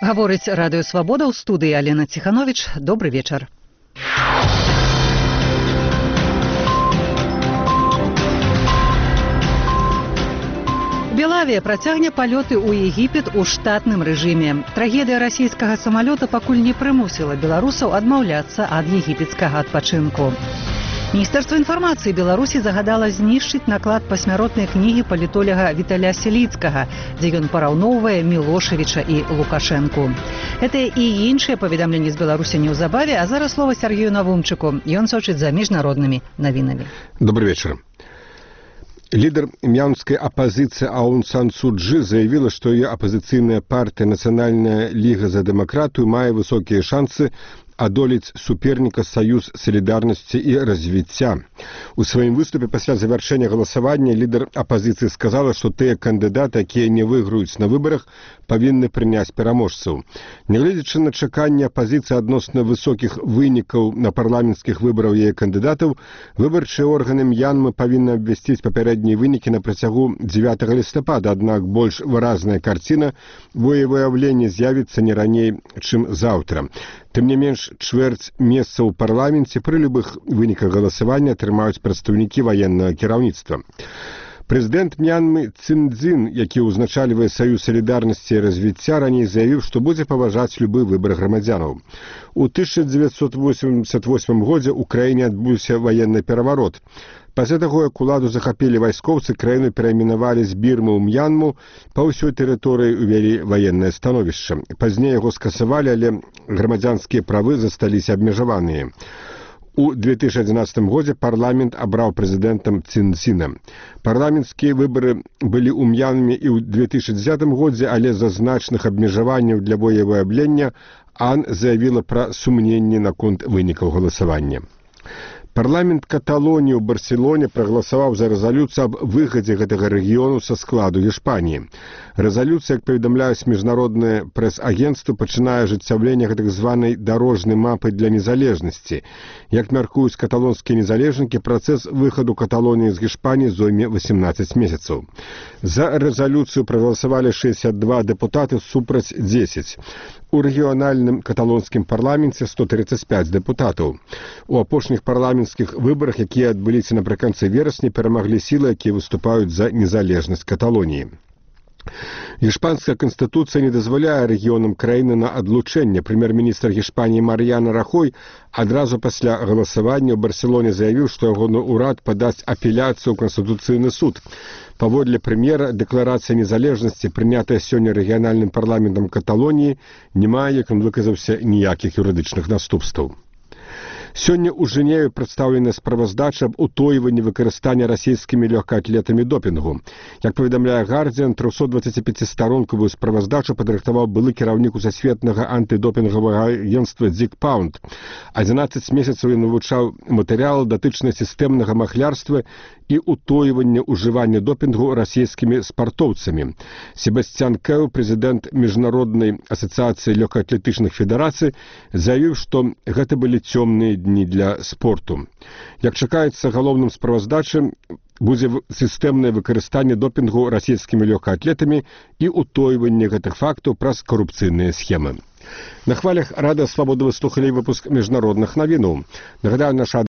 Гаворыць радыё Свабода, ў студыі Алена Ціхановіч. Добры вечар. Белавія працягне палёты ў Егіпет у штатным рэжыме. Трагедыя расійскага самалёта пакуль не прымусіла беларусаў адмаўляцца ад егіпецкага адпачынку. Міністэрства інфармацыі Беларусі загадала знішчыць наклад пасмяротнай кнігі палітоляга Віталя Селіцкага, дзе ён параўноўвае Мілошавіча і Лукашэнку. Гэтыя і іншыя паведамленні з Беларусі неўзабаве, а зараз слова Сергею Навумчыку. Ён сочыць за міжнароднымі навінамі. Добрый вечер. Лидер мьянмской оппозиции Аун Сан Су Чжи заявила, что ее оппозиционная партия «Национальная лига за демократию» имеет высокие шансы одолеть суперника Союз солидарности и развития. У своем выступе после завершения голосования лидер оппозиции сказала, что те кандидаты, которые не выиграют на выборах, повинны принять переможцев. Неглядячи на чекання оппозиции относно высоких выников на парламентских выборах ее кандидатов, выборчие органы Мьянмы повинны обвестить попередние выники на протягу 9 листопада, однако больше выразная картина выявления з'явится не ранее, чем завтра. Тым не менш, чвэрць месца ў парламенце пры любых выніках галасавання атрымаюць прадстаўнікі ваеннага кіраўніцтва. Прэзідэнт Мьянмы Цин Цзин, які ўзначальвае Саюз салідарнасці і развіцця, раней заявіў, што будзе паважаць любы выбар грамадзянаў. У 1988 годзе ў краіне адбыўся ваенны пераварот. Пасля таго, як уладу захапілі вайскоўцы, краіну перайменавалі з Бірмы ў Мьянму, па ўсёй тэрыторыі увялі ваеннае становішча. Пазней яго скасавалі, але грамадзянскія правы засталіся абмежаваныя. У 2011 годзе парламент абраў прэзідэнтам Цин Цзіна. Парламенцкія выбары былі ў Мьянме і ў 2010 годзе, але з-за значных абмежаванняў для волевыяўлення Ан заявіла пра сумненні наконт вынікаў галасавання. Парламент Каталоніі ў Барселоне прагаласаваў за рэзалюцыю аб выхадзе гэтага рэгіёну са складу Іспаніі. Рэзалюцыя, як паведамляюць міжнародныя прэс-агенцтвы, пачынае ажыццяўленне гэтак званай дарожнай мапы для незалежнасці. Як мяркуюць каталонскія незалежнікі, працэс выхаду Каталоніі з Іспаніі зойме 18 месяцаў. За рэзалюцыю прагаласавалі 62 дэпутаты супраць 10. У рэгіянальным каталонскім парламенце 135 дэпутатаў. У апошніх парламенцкіх выбарах, якія адбыліся напрыканцы верасня, перамаглі сілы, якія выступаюць за незалежнасць Каталоніі. Іспанская канстытуцыя не дазваляе рэгіёнам краіны на адлучэнне. Прэм'ер-міністр Іспаніі Мар'яна Рахой адразу пасля галасавання ў Барселоне заявіў, што ягоны ўрад падасць апеляцыю ў Канстытуцыйны суд. Паводле прэм'ера, дэкларацыя незалежнасці, прынятая сёння рэгіянальным парламентам Каталоніі, не мае, як ён выказаўся, ніякіх юрыдычных наступстваў. Сёння ў Жэневе прадстаўлена справаздача аб утойванні выкарыстання расійскімі лёгкаатлетамі допінгу. Як паведамляе Гардзіан, 325-старонкавую справаздачу падрыхтаваў былы кіраўнік усасветнага антыдопінгавага агенцтва Дзік Паунд. 11 месяцаў ён вывучаў матэрыялы датычныя сістэмнага махлярства і утойвання ўжывання допінгу расійскімі спартоўцамі. Себасцян Кэў, прэзідэнт Міжнароднай асацыяцыі лёгкаатлетычных федэрацый, заявіў, што гэта былі цёмныя дні для спорту. Як чакаецца, галоўным справаздачам будзе сістэмнае выкарыстанне допінгу расійскімі лёгкаатлетамі і утойванне гэтых фактаў праз карупцыйныя схемы. На хвалях радыё Свабода вы слухалі выпуск міжнародных навінаў. Нагадаю, наша